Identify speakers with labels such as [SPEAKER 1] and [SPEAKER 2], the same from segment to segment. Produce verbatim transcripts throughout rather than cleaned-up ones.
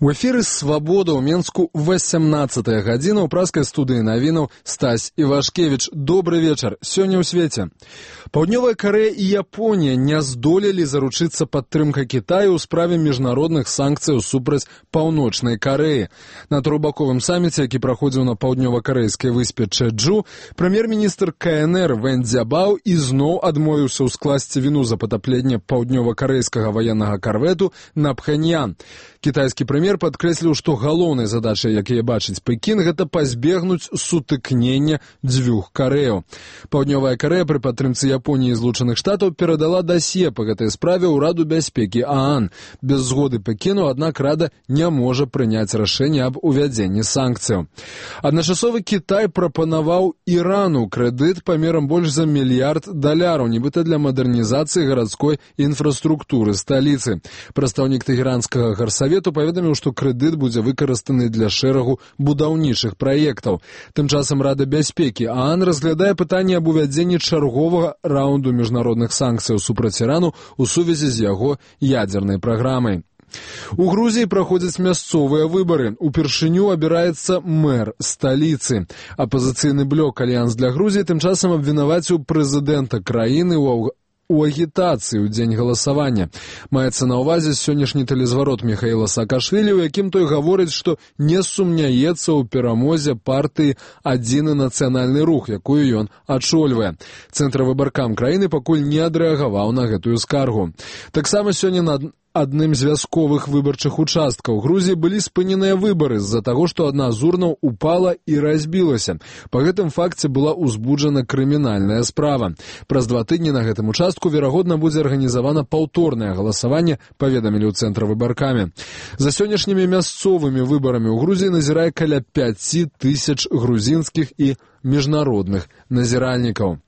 [SPEAKER 1] У эфіры «Свабода» ў Менску васямнаццатая гадзіна. У праскай студыі навінаў Стась Івашкевіч. Добры вечар. Сёння ў свеце. Паўднёвая Карэя і Японія не здолелі заручыцца падтрымкай Кітаю ў справе міжнародных санкцыяў супраць Паўночнай Карэі. На трохбаковым саміце, які праходзіў на паўднёва-карэйскай выспе Чэджу, прэм'ер-міністр ка эн эр Вэн Цзябао ізноў адмовіўся ўскласці віну за патапленне паўднёва-карэйскага ваеннага карвету на Пхэньян. Кітайскі прэм'ер падкрэсліў, што галоўнай задачай, якія бачыць Пекін, гэта пазбегнуць сутыкнення дзвюх Карэяў. Паўднёвая Карэя пры падтрымцы Японіі і Злучаных Штатаў перадала дасье па гэтай справе ў Раду бяспекі ААН. Без згоды Пекіну, аднак, Рада не можа прыняць рашэнне аб увядзенні санкцыяў. Адначасова Кітай прапанаваў Ірану крэдыт памерам больш за мільярд даляраў, нібыта для мадэрнізацыі гарадской інфраструктуры сталіцы. Прадстаўнік тэгеранскага гарсавету паведаміў, што крэдыт будзе выкарыстаны для шэрагу будаўнічых праектаў. Тым часам Рада бяспекі ААН разглядае пытанне аб увядзенні чарговага раунду міжнародных санкцыяў супраць Ірану ў сувязі з яго ядзернай праграмай. У Грузіі праходзяць мясцовыя выбары. Упершыню абіраецца мэр сталіцы. Апазіцыйны блок «Альянс для Грузіі» тым часам абвінаваціў прэзідэнта краіны ў у агітацыі ў дзень галасавання. Маецца на ўвазе сённяшні тэлезварот Міхаіла Саакашвілі, у якім той гаворыць, што не сумняецца ў перамозе партыі «Адзіны нацыянальны рух», якую ён ачольвае. Цэнтравы выбаркам краіны пакуль не адрэагаваў на гэтую скаргу. Таксама сёння на адным з вясковых выбарчых участкаў Грузіі былі спыненыя выбары з-за таго, што адна з урнаў упала і разбілася. Па гэтым факце была ўзбуджана крымінальная справа. Праз два тыдні на гэтым участку, верагодна, будзе арганізавана паўторнае галасаванне, паведамілі ў цэнтравыбаркаме. За сённяшнімі мясцовымі выбарамі ў Грузіі назірае каля пяці тысяч грузінскіх і міжнародных назіральнікаў.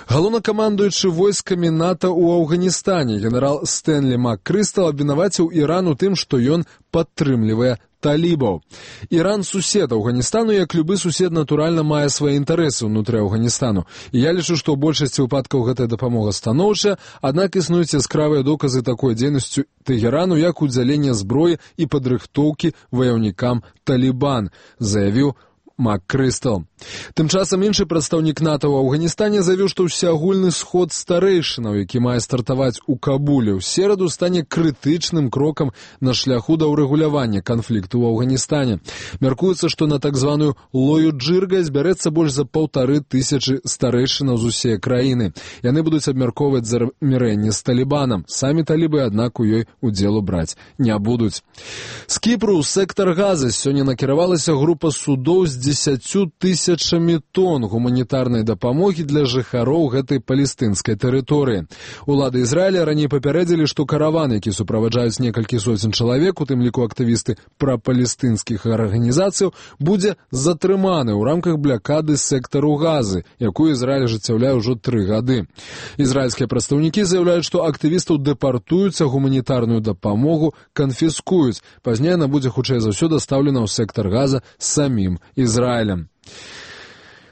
[SPEAKER 1] Галоўнакамандуючы войскамі НАТО ў Афганістане генерал Стэнлі МакКрыстал абвінаваціў Іран у тым, што ён падтрымлівае талібаў. Іран сусед Афганістану, як любы сусед, натуральна мае свае інтарэсы ўнутры Афганістану. І я лічу, што ў большасці выпадкаў гэтая дапамога станоўчая, аднак існуюць яскравыя доказы такой дзейнасцю Тэгерану, як удзяленне зброі і падрыхтоўкі ваяўнікам Талібан, заявіў МакКрыстал. Тым часам іншы прадстаўнік НАТО ў Афганістане заявіў, што ўсеагульны сход старэйшынаў, які мае стартаваць у Кабуле ў сераду, стане крытычным крокам на шляху да ўрэгулявання канфлікту ў Афганістане. Мяркуецца, што на так званую лою джырга збярэцца больш за паўтары тысячы старэйшынаў з усей краіны. Яны будуць абмяркоўваць замірэнне з Талібанам. Самі талібы, аднак, у ёй удзелу браць не будуць. З Кіпру ў сектар Газы сёння накіравалася група судоў з дзесяцю тысячамі тонн гуманітарнай дапамогі для жыхароў гэтай палестынскай тэрыторыі. Улады Ізраіля раней папярэдзілі, што караван, які суправаджаюць некалькі соцень чалавек, у тым ліку актывісты прапалестынскіх арганізацыяў, будзе затрыманы ў рамках блякады сектару Газы, якую Ізраіль ажыццяўляе ўжо тры гады. Ізраільскія прадстаўнікі заяўляюць, што актывістаў дэпартуюцца, гуманітарную дапамогу канфіскуюць. Пазней яна будзе хутчэй за ўсё дастаўлена ў сектар Газа самім Ізраілем.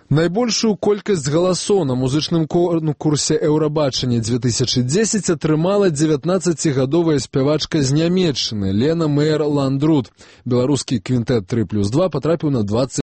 [SPEAKER 1] Найбольшую колькасць галасоў на музычным конкурсе «Еўрабачання две тысячи десять» атрымала дзевятнаццацігадовая спявачка з Нямецчыны Лена Меер-Ландрут. Беларускі квінтэт тры плюс два патрапіў на двадцать